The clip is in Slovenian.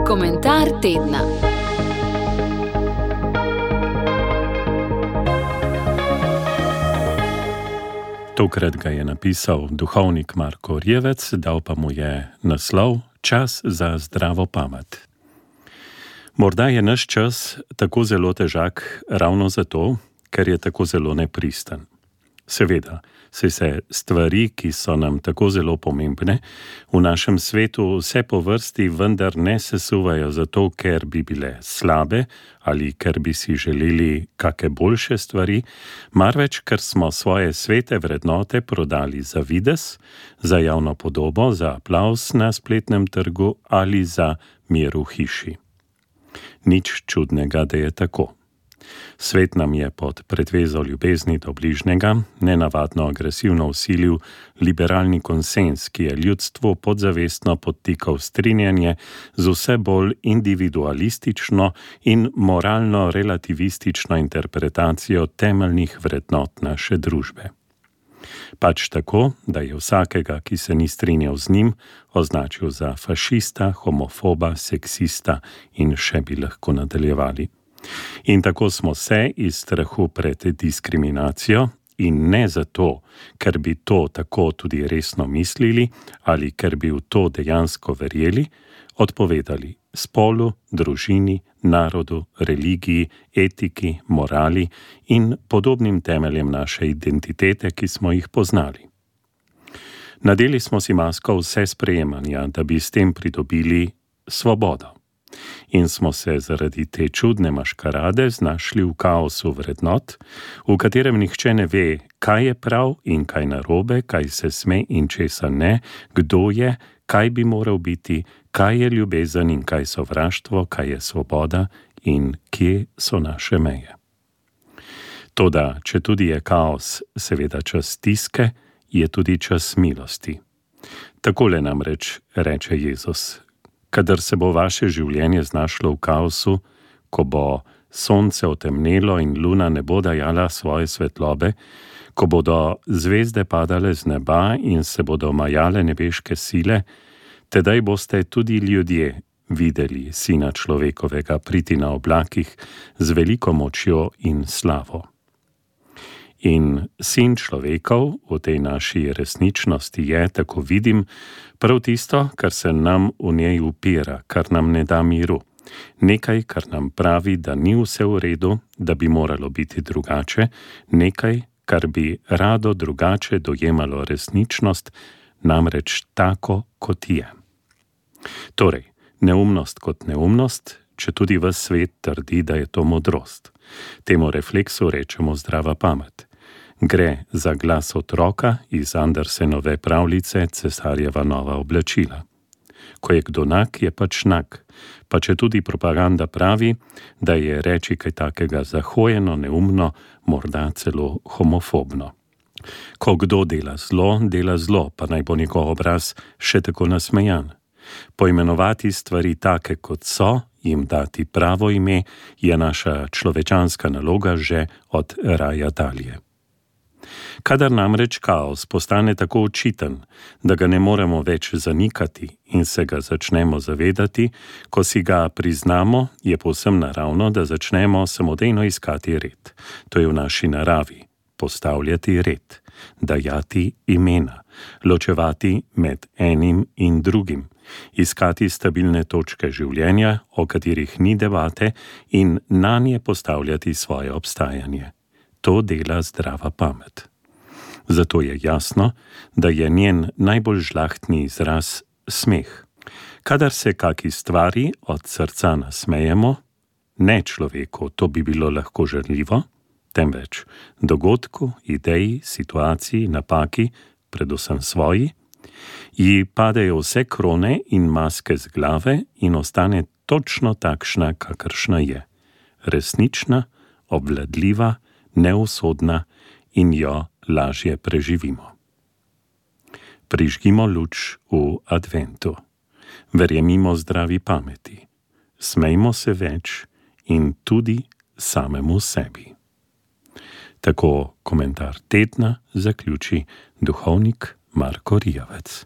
Komentar tedna. Tokrat ga je napisal duhovnik Marko Rjevec, dal pa mu je naslov Čas za zdravo pamet. Morda je naš čas tako zelo težak ravno zato, ker je tako zelo nepristen. Seveda, saj se stvari, ki so nam tako zelo pomembne, v našem svetu vse po vrsti vendar ne sesuvajo zato, ker bi bile slabe ali ker bi si želeli kake boljše stvari, marveč ker smo svoje svete vrednote prodali za videz, za javno podobo, za aplavz na spletnem trgu ali za mir v hiši. Nič čudnega, da je tako. Svet nam je pod pretvezo ljubezni do bližnjega nenavadno agresivno vsilil liberalni konsenz, ki je ljudstvu podzavestno podtikal strinjanje z vse bolj individualistično in moralno relativistično interpretacijo temeljnih vrednot naše družbe. Pač tako, da je vsakega, ki se ni strinjal z njim, označil za fašista, homofoba, seksista in še bi lahko nadaljevali. In tako smo se iz strahu pred diskriminacijo in ne zato, ker bi to tako tudi resno mislili ali ker bi v to dejansko verjeli, odpovedali spolu, družini, narodu, religiji, etiki, morali in podobnim temeljem naše identitete, ki smo jih poznali. Nadeli smo si masko vse sprejemanja, da bi s tem pridobili svobodo. In smo se zaradi te čudne maškarade znašli v kaosu vrednot, v katerem nihče ne ve, kaj je prav in kaj narobe, kaj se sme in česa ne, kdo je, kaj bi moral biti, kaj je ljubezen in kaj sovraštvo, kaj je svoboda in kje so naše meje. Toda, če tudi je kaos seveda čas stiske, je tudi čas milosti. Takole namreč reče Jezus: kadar se bo vaše življenje znašlo v kaosu, ko bo sonce otemnelo in luna ne bo dajala svoje svetlobe, ko bodo zvezde padale z neba in se bodo majale nebeške sile, tedaj boste tudi ljudje videli Sina človekovega priti na oblakih z veliko močjo in slavo. In Sin človekov v tej naši resničnosti je, tako vidim, prav tisto, kar se nam v njej upira, kar nam ne da miru. Nekaj, kar nam pravi, da ni vse v redu, da bi moralo biti drugače, nekaj, kar bi rado drugače dojemalo resničnost, namreč tako, kot je. Torej, neumnost kot neumnost, če tudi ves svet trdi, da je to modrost. Temu refleksu rečemo zdrava pamet. Gre za glas otroka iz Andersenove pravljice Cesarjeva nova oblačila. Ko je kdo nag, je pač nag, pa če tudi propaganda pravi, da je reči kaj takega zahojeno, neumno, morda celo homofobno. Ko kdo dela zlo, pa naj bo njegov obraz še tako nasmejan. Poimenovati stvari take, kot so, jim dati pravo ime, je naša človečanska naloga že od raja dalje. Kadar namreč kaos postane tako očiten, da ga ne moremo več zanikati in se ga začnemo zavedati, ko si ga priznamo, je povsem naravno, da začnemo samodejno iskati red. To je v naši naravi, postavljati red, dajati imena, ločevati med enim in drugim, iskati stabilne točke življenja, o katerih ni debate, in nanje postavljati svoje obstajanje. To dela zdrava pamet. Zato je jasno, da je njen najbolj žlahtni izraz smeh. Kadar se kaki stvari od srca nasmejemo, ne človeku, to bi bilo lahko žaljivo, temveč dogodku, ideji, situaciji, napaki, predvsem svoji, ji padejo vse krone in maske z glave in ostane točno takšna, kakršna je. Resnična, obvladljiva, neusodna in jo lažje preživimo. Prižgimo luč v adventu. Verjemimo zdravi pameti. Smejmo se več in tudi samemu sebi. Tako komentar tedna zaključi duhovnik Marko Rjevec.